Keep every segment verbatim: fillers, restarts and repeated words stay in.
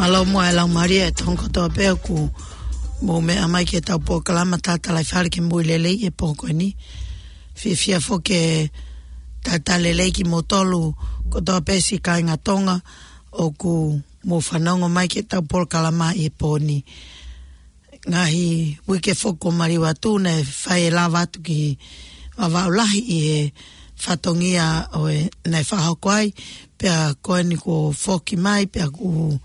Mālō muʻa e laumālie ʻa e toenga kotoa pē ʻoku mou meʻa mai ki heʻetau polokalama Tatalaifale ke Moʻui Lelei he pō ko eni. Fiefia foki ke talitali lelei kimoutolu kotoa pē siʻi kāinga Tonga ʻoku mou fanongo mai ki heʻetau polokalama he pō ni. Ngaahi uike foki kuo maliu atu naʻe fai e lava atu ki Vavaʻu Lahi ʻi he fatongia ʻo e naʻe fakahoko ai, pea ko eni kuo foki mai, pea kuo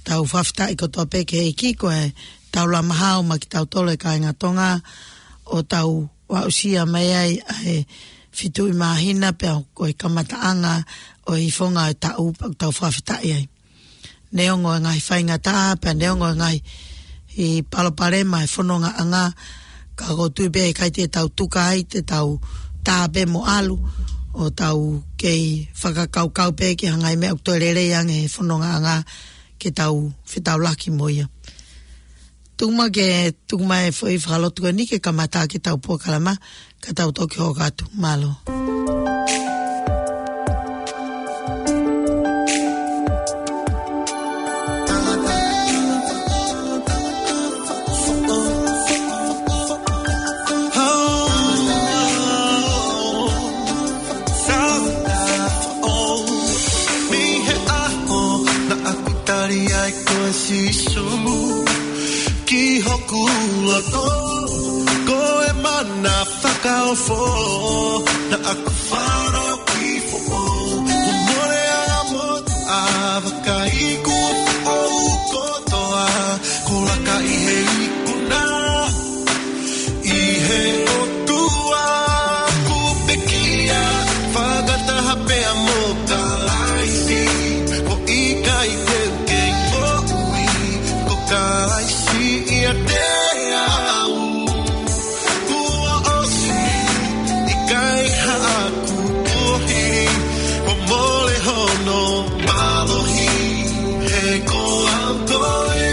tau fakafetaʻi kotoa pē ki he ʻEiki ko e taulama hao maʻa kitautolu e kāinga Tonga ʻo tau aʻusia mai ai ʻa e fitu ʻi māhina, pea ko e kamataʻanga ʻo e ifonga e taʻu pea ʻoku tau fakafetaʻi ai. Neongo e ngaahi faingataʻa, pea neongo e ngaahi palopalema e fonongaʻanga, ka ʻoku ou tui pē ʻe ʻikai te tau tuka ai, te tau tā pē mo ʻalu, ʻo tau kei fakakaukau pē ki he ngaahi meʻa ʻoku toe lelei ange he fonongaʻanga ke tau fetaulaki mo ia. Tuku mai ke, tuku mai e foʻi fakalotu ko eni ke kamata ʻaki ʻetau polokalama, ka tau toki hoko atu. Mālō. Mei he ʻaho naʻa ku tali ai koe Sīsū ki hoku loto, ko e mana fakaofo naʻa ku fakaʻofoʻofa. Kuo mole ʻa e motuʻa, vakai kuo foʻou kotoa, kuo laka ʻi he ikuna. ʻI he ʻOtua kuo pekia, fakataha pea mo Kalaisi, ʻo ʻikai te u kei moʻui, ko Kalaisi ʻiate au. Kuo ʻosi, ʻikai haʻaku kuohili, kuo mole hono mālohi, he ko au koe.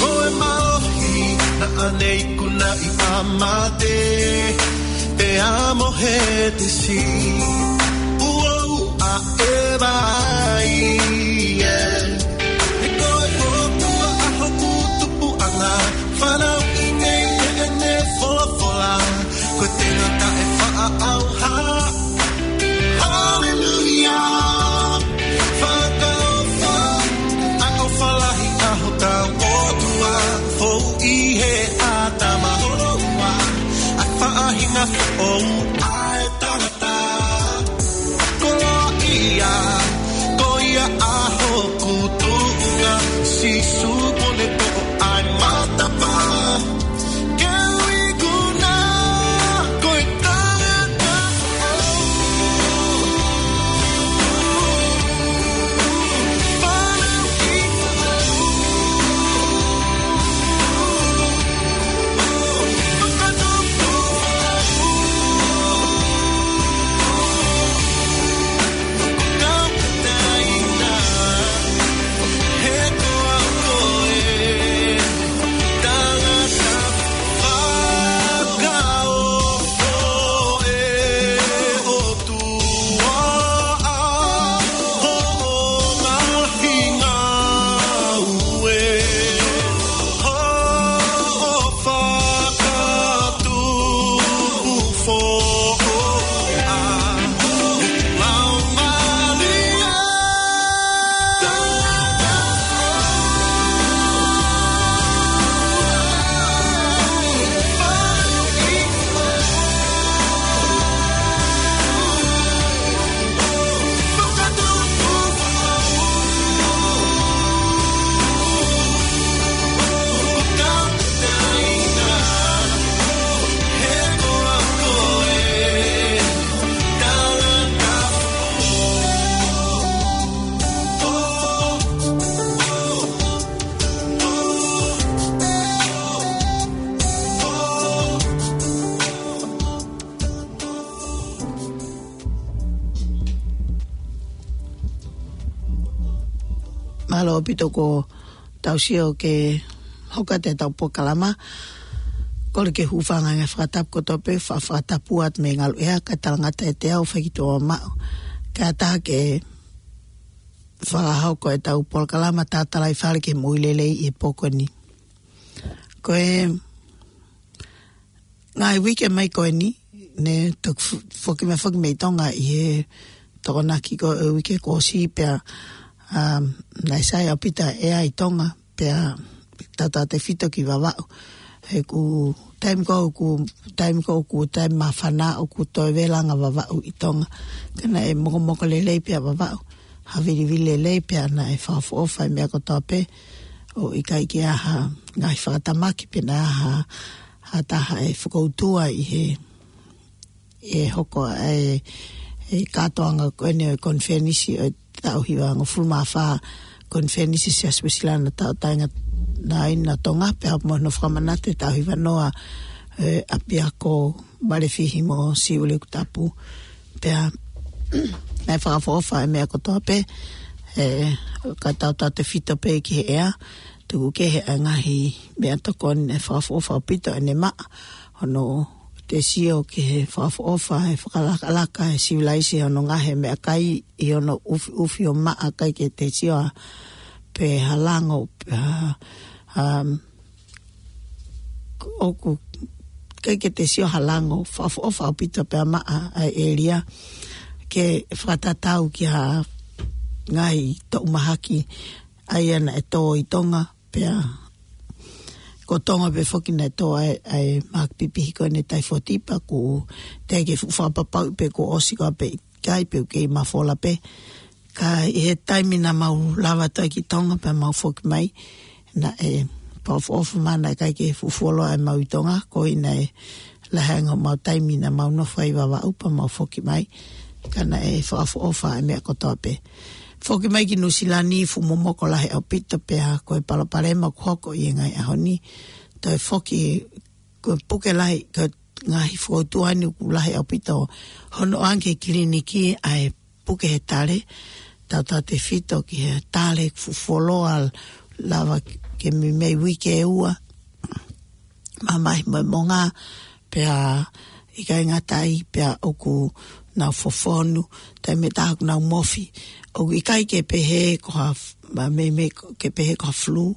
Ko e mālohi naʻa ne ikunaʻi ʻa mate pea mo Hētesi, ʻuo ʻa e vai, ē. He ko e ʻOtua ʻa hoku tupuʻanga, fanauʻi nei ʻene folofola, ko e tenga taʻefaʻaʻauha. Haleluia. Fakaʻofoʻofa, ʻofa lahi ʻa hotau ʻOtua, fou ʻi he ʻatama holoua, ʻa e faʻahinga foʻou ʻa e tangata. Koloaʻia, Mālō ʻaupito ko tau sio ke hoko atu ʻetau polokalama. Kole ke hūfanga he ngaahi fakatapu kotoa pē, fa-, fakatapu atu mei he ngaluʻea, kae talangata ʻiate au fakatuʻumaʻu. Kae ʻatā ke fakahoko ʻetau polokalama Tatalaifale ki he Moʻui Lelei ʻi he pō ko eni. Ko e ngaahi uike mai ko eni, ne toki fo-, foki mai, foki mai Tonga ʻi he Tokonaki ko e uike kuo ʻosi pea, um, naʻe sai ʻaupito ʻa e ʻea ʻi Tonga, pea tautautefito ki Vavaʻu. He ko e taimi ko ē, ko e taimi ko ē, ko e taimi māfana ʻoku toe vela ange ʻa Vavaʻu ʻi Tonga. Ka naʻe mokomoko lelei pē ʻa Vavaʻu. Havilivili lelei pea naʻe fakaʻofoʻofa e meʻa kotoa pē. ʻO ʻikai ke ʻi ai ha ngaahi fakatamaki pe naʻe ʻi ai ha, ha taha ʻe fakautua ʻi he, ʻe hoko ʻa e, e kātoanga ko eni ʻo e konifelenisi ʻo e taʻu hivangofulu mā fā, konifelenisi Siasi Uēsilana Tauʻatāina ʻo Tonga, pea mo hono fakamanatu e taʻu hivanoa, e, ʻapiako Valefihi mo Siuʻilikutapu. Pea naʻe fakaʻofoʻofa e meʻa kotoa pē, e, kae tautautefito pē ki he ʻea, tuku kehe ʻa e ngaahi meʻatokoni, naʻe fakaʻofoʻofa ʻaupito ʻene maʻa, hono te sio ki he fakaʻofoʻofa, he fakalakalaka, he sivilaise hono ngaahi meʻakai, ʻi hono ʻufiʻufi ʻo maʻa, ʻikai ke te sio ʻa pe ha lango, pe ha, um, ʻoku ʻikai ke te sio ha lango, fakaʻofoʻofa ʻaupito pea maʻa ʻa e ʻēlia, ke fakatatau ki ha ngaahi toʻu mahaki ʻa ia naʻe tō ʻi Tonga, pea ko Tonga pē foki naʻe tō ai ʻa e mahaki pipihi ko eni e taifotipa, ko e teʻeki ke fuʻu fakapapauʻi pe kuo ʻosi koā pe ʻikai pe ʻoku kei mafola pē. Ka ʻi he taimi naʻa mau lava atu ai ki Tonga pea mau foki mai, naʻe fakaʻofoʻofa mai naʻe ʻikai ke fuʻu fuoloa ʻemau ʻi Tonga, koeʻuhi naʻe lahi ange homau taimi naʻa mau nofo ai ʻi Vavaʻu pea mau foki mai, ka naʻe fakaʻofoʻofa e meʻa kotoa pē. Foki mai ki Nuʻusila ni, fuʻu momoko lahi ʻaupito pea ko e palopalema ʻoku hoko ʻi he ngaahi ʻaho ni. Toe foki ko e puke lahi, ko e ngaahi fokotuʻu ni ʻoku lahi ʻaupito hono ʻoange ki he kiliniki ʻa e puke he tale, tautautefito ki he tale fuʻu fuoloa lava ke meimei uike ʻe ua, mamahi mo e monga, pea ʻikai ngata ai pea ʻoku nau fofonu, taimi ʻe taha ʻoku nau mofi. ʻOku ʻikai ke pehē ko ha f-, ma-, meimei ko, ke pehē ko ha flu.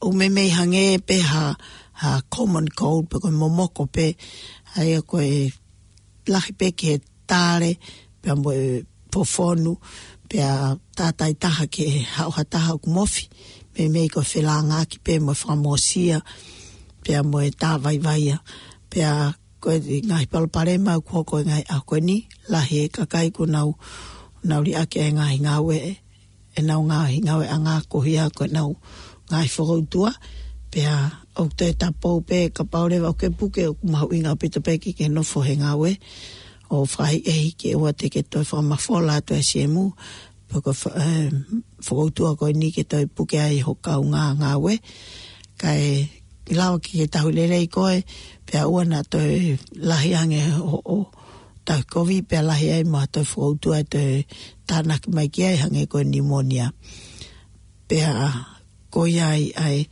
ʻOku meimei hangē pē ha, ha common cold, pe ko e momoko pē, ʻa ia ko e lahi pē ki he tale, pea mo e fofonu, pea tātāitaha ke haʻu ha taha ʻoku mofi, meimei ko e felāngaaki pē mo e fakamosia, pea mo e tāvaivaia, pea ko e ngaahi palopalema ʻoku hoko he ngaahi ʻaho ko eni, lahi e kakai kuo nau, nau liʻaki e ngaahi ngāue, ʻenau ngaahi ngāueʻanga ko ia ko ʻenau ngaahi fokoutua, pea ʻoku toe tapou pē kapau leva ʻoku ke puke ʻoku mahuʻinga ʻaupito pē ke ke nofo he ngāue, ʻo fakaʻehiʻehi ke ʻoua te ke toe fakamafola atu e siemu, pe ko e fa-, e, fokoutua ko eni ke toe puke ai ho kaungā ngāue, kae lava ke ke tauhi lelei koe, pea ʻoua naʻa toe lahi ange hoʻo tauhi kovi, pea lahi ai mo ha toe fokoutua ʻe toe tānaki mai ki ai hangē ko e pneumonia. Pea ko ia ai, ai,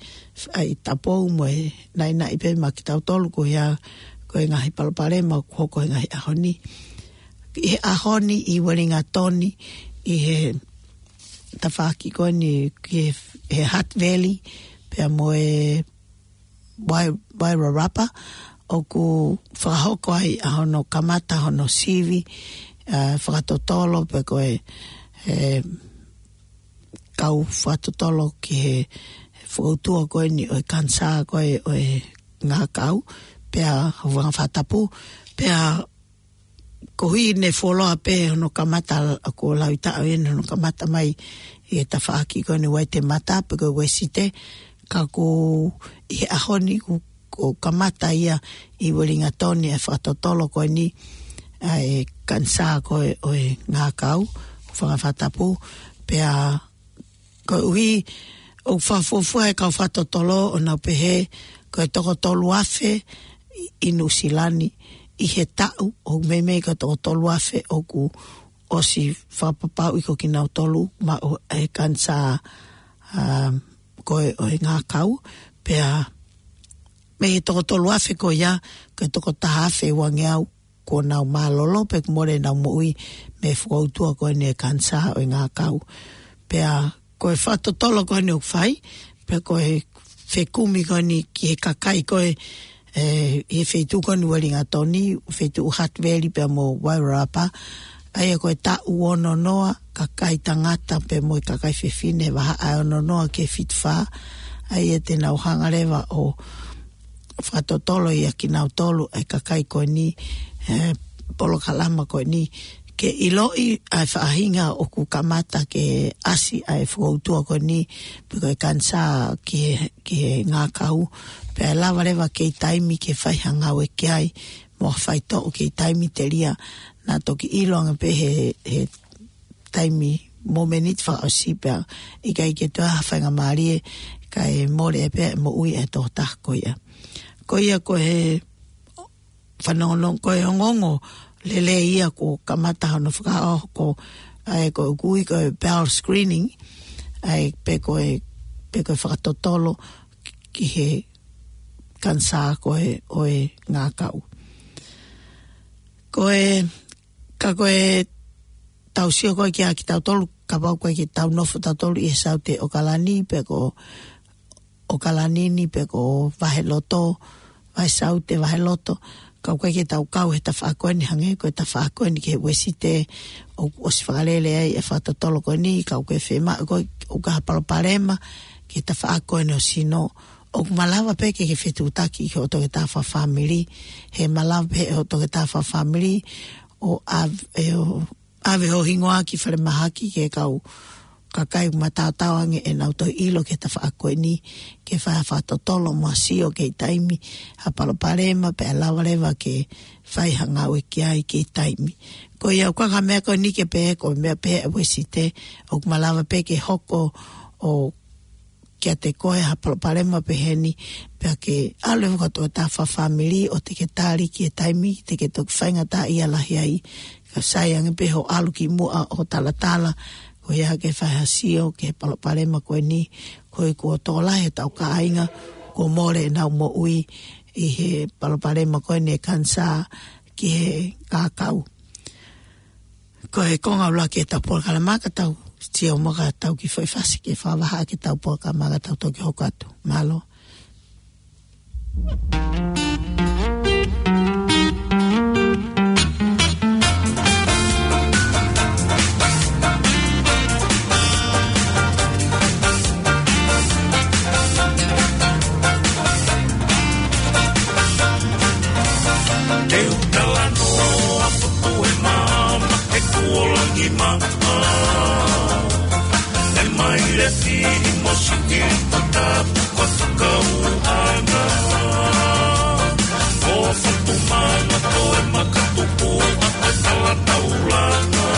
ai tapou mo e naʻinaʻi pē maʻa kitautolu ko ia, ko e ngaahi palopalema ʻoku hoko he ngaahi ʻaho ni. ʻI he ʻaho ni ʻi Uelingatoni, ʻi he tafaʻaki ko eni ki he, he Hutt Valley, pea mo e Wai-, Wairarapa, ʻoku fakahoko ai ʻa hono kamata hono sivi, ʻa, fakatotolo pe ko e, e, kau fakatotolo ki he fokoutua ko eni ʻo e kanisā ko ē ʻo e ngākau, pea hūfanga he fakatapu, pea koeʻuhi ne fuoloa pē hono kamata, ʻa, ko Lauitaʻo eni hono kamata mai ʻi he tafaʻaki ko eni Waitemata pe ko Uēsite, ka ko ʻi he ʻaho ni ʻoku, ʻoku kamata ia ʻi Uelingatoni e fakatotolo ko eni ʻa e kanisā ko ē ʻo e ngākau, hūfanga he fakatapu, pea koeʻuhi ʻoku fakafuofua e kau fakatotolo ʻo nau pehē ko e toko tolu afe ʻi, ʻi Nuʻusila ni ʻi he taʻu, ʻoku meimei ko e toko tolu afe ʻoku ʻosi fakapapauʻi ko kinautolu maʻu e kanisā, ʻa, ko ē ʻo e ngākau, pea mei he toko tolu afe ko ia, ko e toko taha afe uangeau, kuo nau mālōlō pea kuo mole ʻenau moʻui mei he fokoutua ko eni e kanisā ʻo e ngākau. Pea ko e fakatotolo ko eni ʻoku fai, pea ko e fekumi ko eni ki he kakai ko ē, ʻi he feituʻu ko eni Uelingatoni, feituʻu Hutt Valley pea mo Wairarapa, ʻa ia ko e taʻu ono noa, kakai tangata pea mo e kakai fefine, vahaʻa ʻe ono noa ki he fitu fā, ʻa ia te nau hanga leva ʻo fakatotolo ia kinautolu e kakai ko eni, e, polokalama ko eni, ke ʻiloʻi ʻa e faʻahinga ʻoku kamata ke ʻasi ʻa e fokoutua ko eni, pe ko e kanisā ki he, ki he ngākau, pea lava leva ke ʻi taimi ke fai ha ngāue ki ai, mo ha faitoʻo ke ʻi taimi telia, naʻa toki ʻilo ange pē he, he taimi mo e miniti fakaʻosi pea ʻikai ke toe ha faingamālie kae mole pē moʻui e tokotaha ko ia. Ko ia ko e fanongonongo, ko e ongoongo lelei ia kuo kamata hono fakaʻohoko, ʻa e ko e ʻoku ui ko e bowel screening, ʻa e pe ko e, pe ko e fakatotolo ki he kanisā ko ē ʻo e ngākau. Ko e, ka ko e tau sio ko ē kia kitautolu, kapau ko ē ke tau nofo tautolu ʻi he Saute ʻOkalani, pe ko ʻOkalani ni, pe ko Vaheloto, Vahesaute, Vaheloto, ka ko ē ke tau kau he tafaʻaki ko eni hangē ko e tafaʻaki ko eni ki he Uēsite, ʻoku ʻosi fakalele ai e fakatotolo ko eni, ka ko e fiemaʻu ko ē ʻoku ʻi ai ha palopalema ki he tafaʻaki ko eni ʻo e sino, ʻoku malava pē ke ke fetuʻutaki ki hoʻo toketā fakafāmili, he malava pē hoʻo toketā fakafāmili ʻo ʻave, ʻo ʻave ho hingoa ki falemahaki ki he kau kakai ʻoku mataotao ange ʻenau toe ʻilo ki he tafaʻaki ko eni, ke fai ha fakatotolo mo ha sio ki he taimi, ha palopalema pea lava leva ke fai ha ngāue ki ai ki he taimi. Ko ia ʻoku ʻikai ko ha meʻa ko eni ke pehē ko e meʻa pē ʻa e Uēsite, ʻoku malava pē ke hoko ʻo kiate koe ha palopalema peheni, pea ke ʻalu leva ki hoʻo toketā fakafāmili ʻo te ke tali ki he taimi te ke toki faingataʻaʻia lahi ai. Ka sai ange pē hoʻo ʻalu ki muʻa ʻo talatala, ko ia ke fai ha sio ki he palopalema ko eni, koeʻuhi kuo tokolahi ʻetau kāinga kuo mole ʻenau moʻui ʻi he palopalema ko eni e kanisā ki he ngākau. Ko e konga ʻuluaki ʻetau polokalama, ka tau sio muʻa ka tau kiʻi foʻi fasi ke fakavahaʻaki ʻetau polokalama ka tau toki hoko atu. Mālō. Te u talanoa fotu e maama he kuo langi maʻa. E mai le fi mo si ki puta ko fakaʻuʻanga. Ko fotu mana ko e makatupu a e tala taulanga.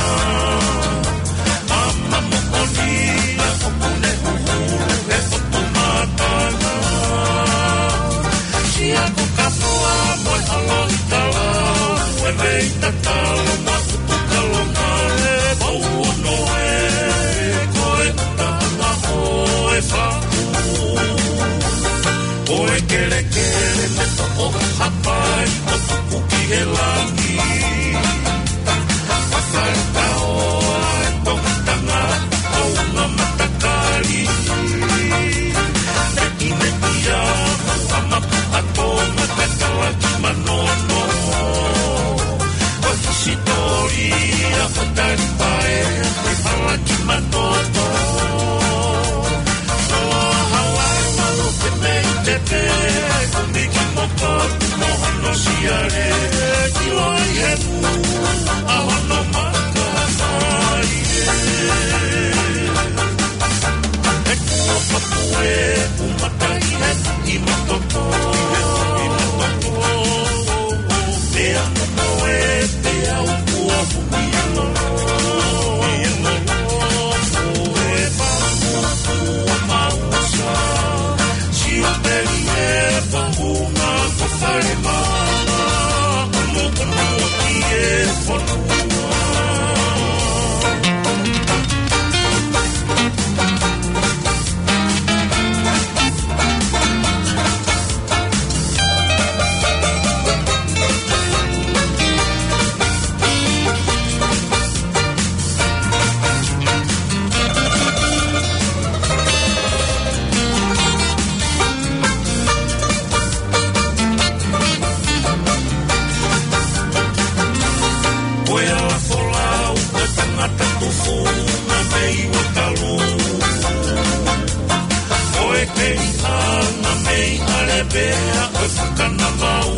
Ama moʻoni a ʻoku ne huhulu he fotu matanga. Sia ko ka fua mo e alo i tala, e vei tatalo ma utu kalonga, e pau ono e, ko e uta ma o e faku. Ko e kelekele me toʻo hapai, ko tuku ki he langi. Pasal tau ai, ko tanga, ko unga matakali. Meki meki a, ko ama pu ato, ma tatala ki manono. Ko hisitoria, ko tali pae, ko hala ki manono. Ko Hawaii, malu ke mei te pe, ko miki moko, mo hano siare, ki loa Pau,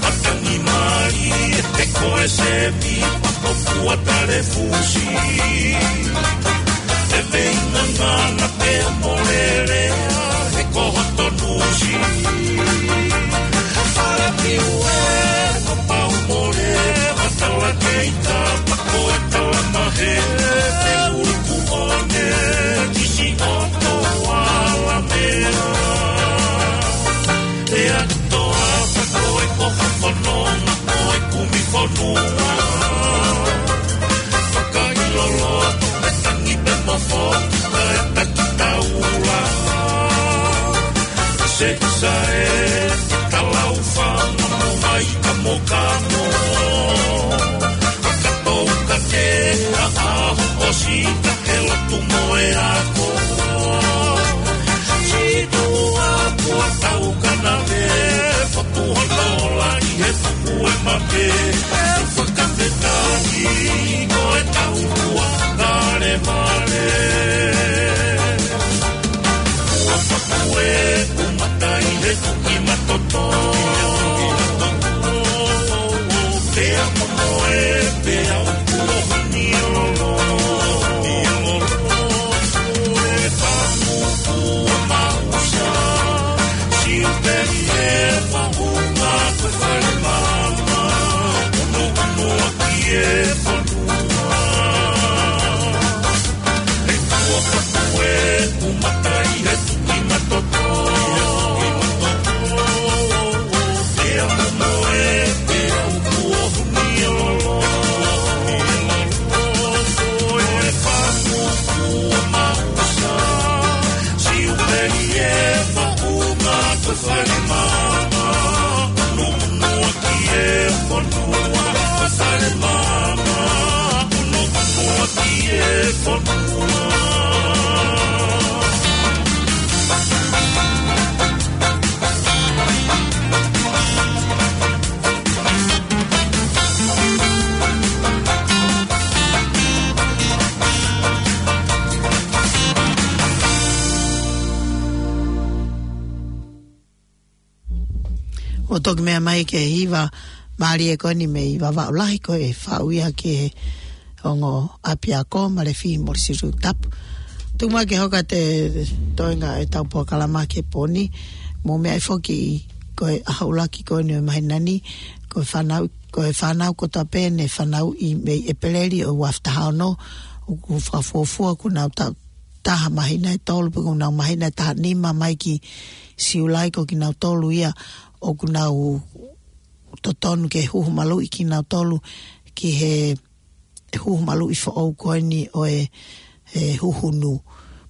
ʻa Tangi Mali, he ko e sepi, pako pua tale fusi. E vei ngangana te molele, he ko hoto nusi. Fale piu e, ko pau mole, ʻa tala keita, pako e tala mahe, te uluku one, kisi o to ala mea. Te atu toa, ko e ko ha fononga, ko e kumi fonua. Fakaʻilolo, ko e tangi pe mofo, ko e taki taula. Se sa e, talau fanga mo mai ka mo ka mo. Fakatou ka te, a aho o si ka ke lotu mo e ako. Si tu a kua tau ka na me, fotu hono la i he fuku e mape. Fakafetahi ko e tau kua kale male. Kua fakue ku matai he tuki matoto. Te amo mo e pe au kuo honi lolo. E famu kua mausa. Siu peli e famu ma kue fale mama. Uno uno aki e fonua. ʻO toki meʻa mai ki he hiva mālie ko eni mei Vavaʻu Lahi ko e faʻu ia ki he ongo ʻapiako Malefi Molisitu Tapu. Tuku mai ke hoko atu e toenga e tau polokalama ki he pō ni. Mou meaʻi foki ko e ʻaho ʻuluaki ko eni ʻo e māhina ni, ko e fānau, ko e fānau kotoa pē ne fanauʻi mei ʻEpeleli ʻo e ua afe taha ono, ʻoku fakafuofua kuo nau taʻu taha māhina ʻe tolu pe kuo nau māhina ʻe taha nima mai ki Siulai ko kinautolu ia ʻoku nau totonu ke huhu maluʻi kinautolu ki he huhu maluʻi foʻou ko eni ʻo e, e huhunu.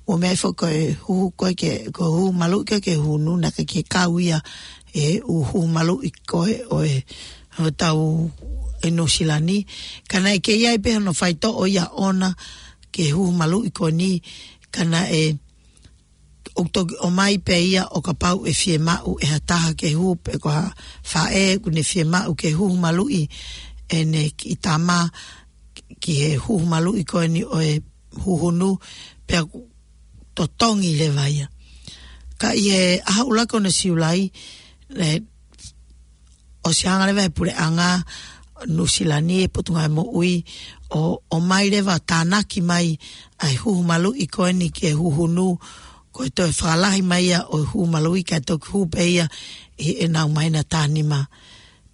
Mou meaʻi foki ko e huhu ko ē ke, ko e huhu maluʻi ko ē ke huhunu naʻe ʻikai ke kau ia he huhu maluʻi ko ē ʻo e, ʻo e tau ʻi Nuʻusila ni. Ka naʻe kei ʻi ai pē hono faitoʻo ia ʻona ke huhu maluʻi ko eni, ka naʻe ʻoku toki ʻomai pē ia ʻo kapau ʻe fiemaʻu ʻe ha taha ke huhu pe ko ha faʻē ʻoku ne fiemaʻu ke huhu maluʻi ʻene kiʻi tama ki he huhu maluʻi ko eni ʻo e huhunu pea ʻoku totongi leva ia. Ka ʻi he ʻaho ʻuluaki ʻo Siulai, ne ʻosi hanga leva he puleʻanga Nuʻusila ni e Potungāue Moʻui ʻo, ʻomai leva tānaki mai ʻa e huhu maluʻi ko eni ki he huhunu, ko e toe fakalahi mai ia ʻo e huhu maluʻi kae toki huhu pē ia ʻi heʻenau māhina taha nima.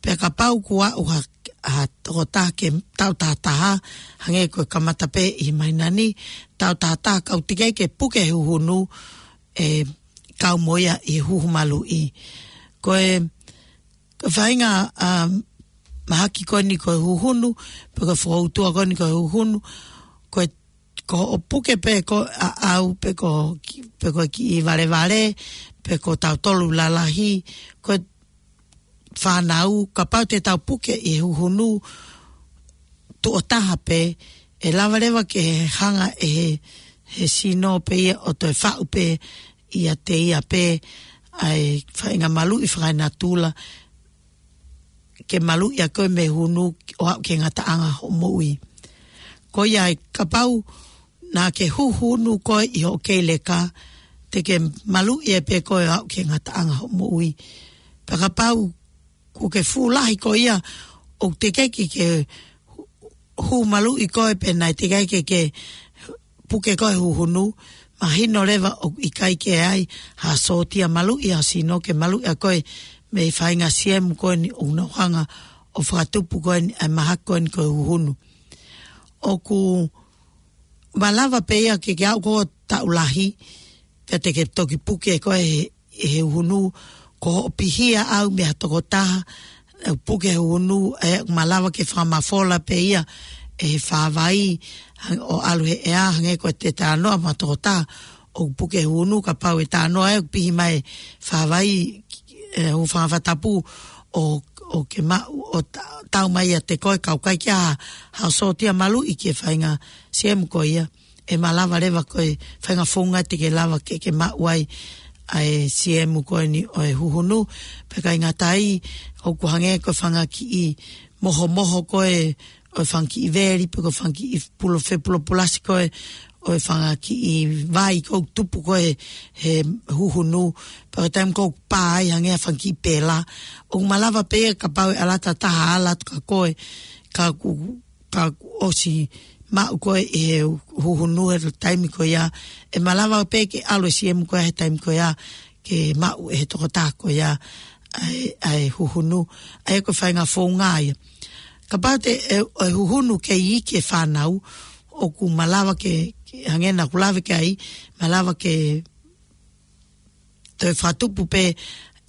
Pea kapau kuo aʻu ha, ha tokotaha ke taʻu taha taha, hangē ko e kamata pē ʻi he māhina ni, taʻu taha taha ka ʻoku teʻeki ke puke huhunu, ʻe kau mo ia ʻi he huhu maluʻi. Ko e, ko e faʻahinga, um, mahaki ko eni ko e huhunu, pe ko e fokoutua ko eni ko e huhunu, ko e, ko hoʻo puke pē ko e ʻaʻau, pe ko ki-, pe ko e kiʻi valevale, pe ko tautolu lalahi, ko e fānau, kapau te tau puke ʻi he huhunu tuʻo taha pē, ʻe lava leva ke hanga ʻe he, he sino pē ia ʻo toe faʻu pē ʻiate ia pē ʻa e faʻahinga maluʻi fakaenatula, ke maluʻi ʻa koe mei he huhunu ʻo aʻu ki he ngataʻanga hoʻo moʻui. Ko ia ai kapau naʻa ke huhunu koe ʻi hoʻo kei leka, te ke maluʻi ai pē koe ʻo aʻu ki he ngataʻanga hoʻo moʻui. Pea kapau kuo ke fuʻu lahi koe ia, ʻoku teʻeki ke hū maluʻi koe pe naʻe teʻeki ke, ke puke koe huhunu, mahino leva ʻoku ʻikai ke ʻi ai ha sōtia maluʻi ʻa e sino ke maluʻi ʻa koe mei he faʻahinga siemu ko eni ʻoku nau hanga ʻo fakatupu ko eni ʻa e mahaki ko eni ko e huhunu. ʻOku malava pē ia ke ke aʻu ko e taʻu lahi, pea te ke toki puke koe he, he huhunu, ko hoʻo pihia ʻau mei ha tokotaha, ʻe puke huhunu, ʻe malava ke fakamafola pē ia ʻe he fāvai, hang-, ʻo ʻalu he ʻea, hangē ko e te talanoa mo ha tokotaha ʻoku puke huhunu, kapau ʻe talanoa ʻe ʻoku pihi mai fāvai, ʻe, ʻo Fangafatapu, ʻo, ʻo ke maʻu, ʻo ta-, tau mai ʻiate koe, ka ʻoku ʻikai ke ʻi ai ha sōtia maluʻi ki he faʻahinga siemu ko ia, ʻe malava leva ko e faʻahinga founga te ke lava ke, ke maʻu ai ʻa e siemu ko eni ʻo e huhunu. Pea ʻikai ngata ai, ʻoku hangē ko e fanga kiʻi mohomoho ko ē ʻo e fanga kiʻi veli, pe ko e fanga kiʻi pulo-, fepulopulasi ko ē ʻo e fanga kiʻi vai ʻoku tupu ko ē he huhunu, pea ko e taimi ʻoku pā ai hangē ha fanga kiʻi pela. ʻOku malava pē kapau ʻe ʻalu ha taha ʻo ʻalu atu kia koe, ka kuo, ka kuo ʻosi maʻu koe ʻe he huhunu he taimi ko ia, ʻe malava pē ke ʻalu e siemu ko ia he taimi ko ia, ke maʻu ʻe he tokotaha ko ia ʻa e, ʻa e huhunu, ʻa ia ko e faʻahinga founga ia. Kapau te ʻe, ʻe huhunu ke iiki e fānau, ʻoku malava ke, ke hangē naʻa ku lave ki ai, malava ke toe fakatupu pē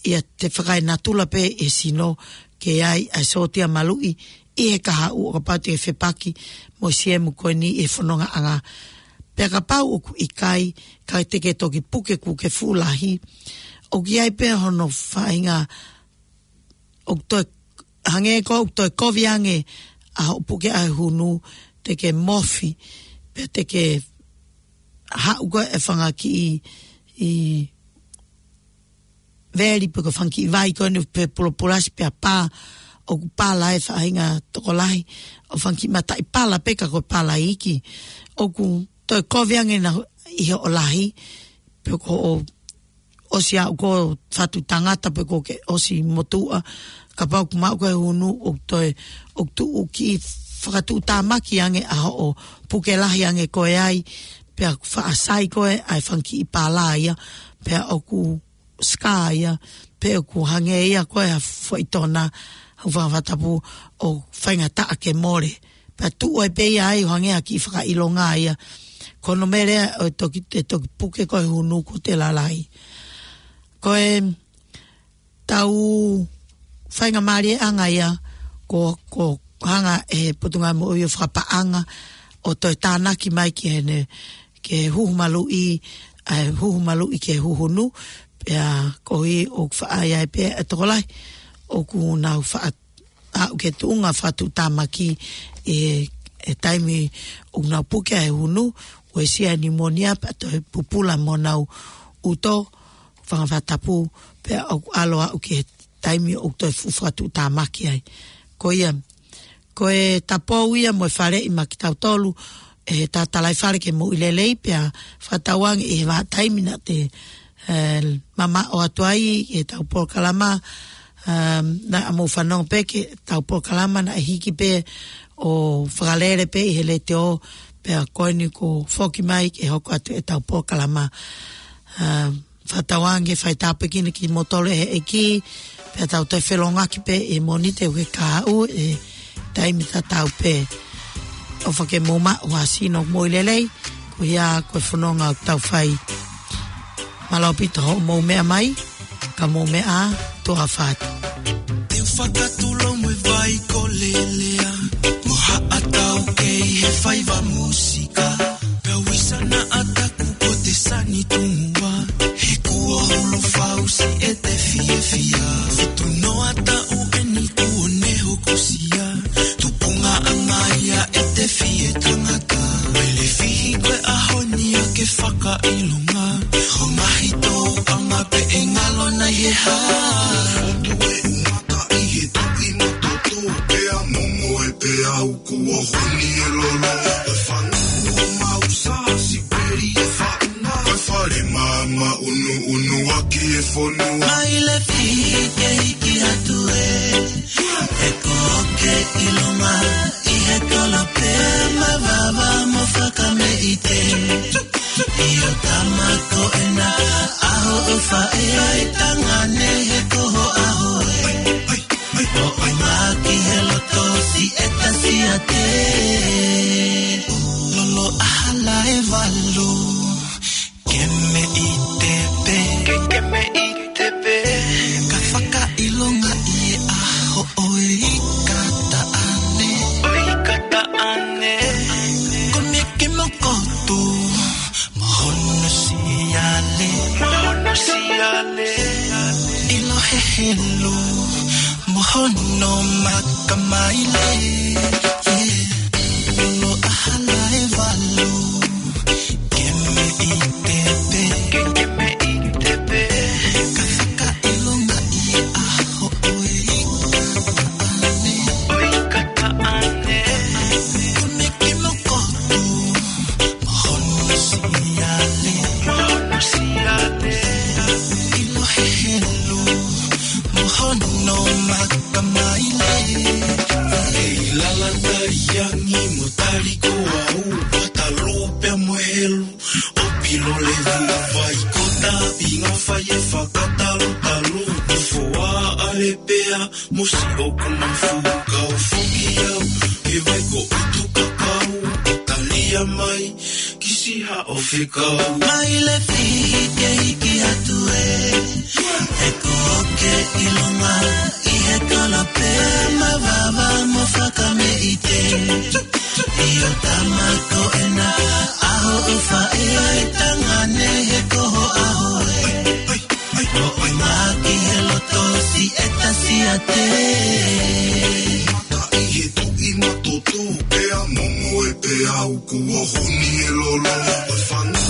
ia, te fakaenatula pē e sino ke ʻi ai ʻa e sōtia maluʻi ʻi he kahaʻu ʻo kapau te ke fepaki mo e siemu ko eni ʻi he fonongaʻanga. Pea kapau ʻoku ʻikai, ka te ke toki puke kuo ke fuʻu lahi, ʻoku ʻi ai pē hono faʻahinga ʻoku toe, hangē ko ʻoku toe kovi ange ʻa hoʻo puke ʻa e huhunu, te ke mofi, pea te ke haʻu ko ē e fanga kiʻi, ʻi veli pe ko e fanga kiʻi vai ko eni fepulopulasi pea pā, ʻoku pala e faʻahinga tokolahi, ʻo fanga kiʻi mataʻi pala pē ka ko e pala iiki. ʻOku toe kovi ange naʻa ʻi hoʻo lahi, pe ko hoʻo ʻosi aʻu ko e fatu tangata pe ko ke ʻosi motuʻa, kapau ʻoku maʻu ko ē huhunu ʻoku toe, ʻoku tuʻu kiʻi fakatuʻutāmaki ange ʻa hoʻo puke lahi ange ko ē ai, pea faʻa sai ko ē ʻa e fanga kiʻi pala ia, pea ʻoku scar ia, pe ʻoku hangē ia ko e ha foʻi tona, ʻo Fangafatapu ʻoku faingataʻa ke mole. Pea tuʻu ai pē ia ai ʻo hangē ha kiʻi fakaʻilonga ia. Ko hono meʻa leva ʻo toki, ʻe toki puke ko ē huhunu kuo te lalahi. Ko e tau faingamālieʻanga ia, ko, ko hanga ʻe he Potungāue Moʻui ʻo fakapaʻanga, ʻo toe tānaki mai ki heʻene, ke huhu maluʻi, ʻa e huhu maluʻi ke huhunu, pea koeʻuhi ʻoku faʻa ʻi ai pē ʻa e tokolahi ʻoku nau faʻa aʻu ki he tuʻunga fakatuʻutāmaki ʻi he, he taimi ʻoku nau puke ʻa e huhunu, uesia e pneumonia pea toe pupula mo honau ʻuto, Fangafatapu, pea ʻoku ʻalu aʻu ki he taimi ʻoku toe fuʻu fakatuʻutāmaki ai. Ko ia, ko e tapou ia mo e faleʻi maʻa kitautolu, ʻe he Tatalaifale ki he Moʻui Lelei, pea fakatauange ʻi he vahaʻa taimi naʻa te, ē, mamaʻo atu ai ʻi heʻetau polokalama, ē, naʻa mou fanongo pē ki heʻetau polokalama naʻe hiki pē ʻo fakalele pē ʻi he letiō, pea ko eni kuo foki mai ke hoko atu ʻetau polokalama. Ē, fakatauange fai tāpuekina kimoutolu ʻe he ʻEiki, pea tau toe felōngoaki pē ʻi he Mōnite ʻi he kahaʻu ʻi he taimi tatau pē. ʻOfa ke mou maʻu ha sino moʻui lelei, ko ia ko e fononga ʻoku tau fai. Mālō ʻaupito hoʻomou meʻa mai, ka mou meʻa ā, tuʻa ʻofa atu. Te u fakatulou mo e vai kolelea, mo haʻatau kei he faiva mūsika. Pea uisa naʻa taku ko te sani tungua, he kuo hulu fausi ʻete fiefia. Fitu noa taʻu eni kuo ne hokosia, tupungaʻanga ia ʻete fie tangata. Mele fihi ko e ʻaho ni ʻa ke fakaʻilonga, ʻo mahi tōʻanga pē ʻe ngalo nai e hā. Fotu e umata ʻi he tuʻi mo toto, pea momo e peau kuo huni e lolo. E fanga fonua. Mai le fike hiki atu ē, he ko ke ʻilonga ʻi he kolope mavava mo fakameʻite. ʻIo tama ko ena ʻa hoʻo faʻē ʻa e tangane he ko ho ʻaho ē. Mo ʻonga ki he loto siʻeta siate. Lolo ʻahala ʻe valu. Ke meʻite pē. Ke, ke meʻite pē. Ka fakaʻilonga ʻi he ʻaho ʻo e ika taʻane. ʻO e ika taʻane. Ko Miki Mokotu mo hono siale. Mo hono siale. ʻIlo hehelu mo hono makamaile. Yeah. Lolo ʻahala ʻe valu. Ke meʻite pē. Ke, ke meʻite pē. Ka fakaʻilonga ʻi he ʻaho ʻo e ika taʻane. ʻO e ika taʻane. Ko Miki Mokotu mo hono siale. Mo hono siale. ʻIlo hehelu mo hono makamaile. ʻEi lala tali angi mo tali ko au, ʻo talu pea mo helu. ʻO pilo le vuvai ko ta pinga fai e fakatalutalu. Tufoa ale pea mo si ʻoku mafu kau foki au. He vai ko utu kakau, talia mai, kisi haʻo fekau. Mai le fike hiki atu ē, he ko ke ʻilonga ʻi he kolope mavava mo fakameʻite. ʻIo tama ko ena ʻa hoʻo faʻē ʻa e tangane he ko ho ʻaho ē. Mo ʻonga ki he loto siʻeta siate. Mata ʻi he tuʻi matoto, pea momoe pea uku o huni e lolo. ʻO fanga